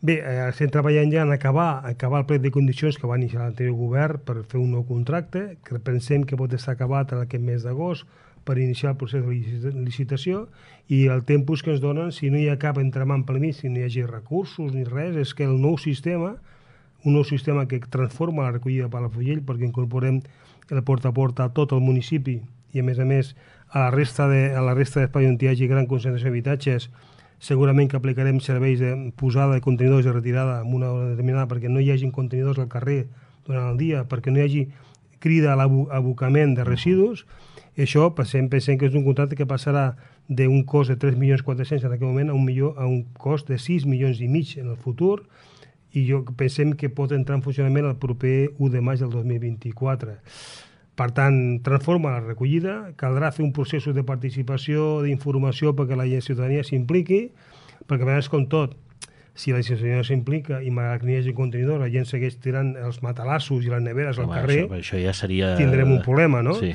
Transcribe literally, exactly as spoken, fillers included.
Bé, eh, estem treballant ja en acabar, acabar el plec de condicions que va iniciar l'anterior govern per fer un nou contracte, que pensem que pot estar acabat en aquest mes d'agost per iniciar el procés de licitació, i el temps que ens donen, si no hi ha cap entramant per mi, si no hi hagi recursos ni res, és que el nou sistema, un nou sistema que transforma la recollida de Palafrugell, perquè incorporem el porta a porta a tot el municipi i, a més a més, a la resta de, a la resta d'espai on hi hagi gran concentració d'habitatges, segurament que aplicarem serveis de posada de contenidors de retirada en una hora determinada perquè no hi hagi contenidors al carrer durant el dia, perquè no hi hagi crida a l'abocament de residus. I això pensem, pensem que és un contracte que passarà d'un cost de tres milions quatre-cents en aquell moment a un, milió, a un cost de sis milions i mig en el futur, i jo pensem que pot entrar en funcionament el proper u de maig del dos mil vint-i-quatre. Per tant, transforma la recollida, caldrà fer un procés de participació, d'informació perquè la ciutadania s'impliqui, perquè a vegades, com tot, si la ciutadania s'implica i malgrat que n'hi hagi contenidors, la gent segueix tirant els matalassos i les neveres al Home, carrer, això, això ja seria... tindrem un problema, no? Sí.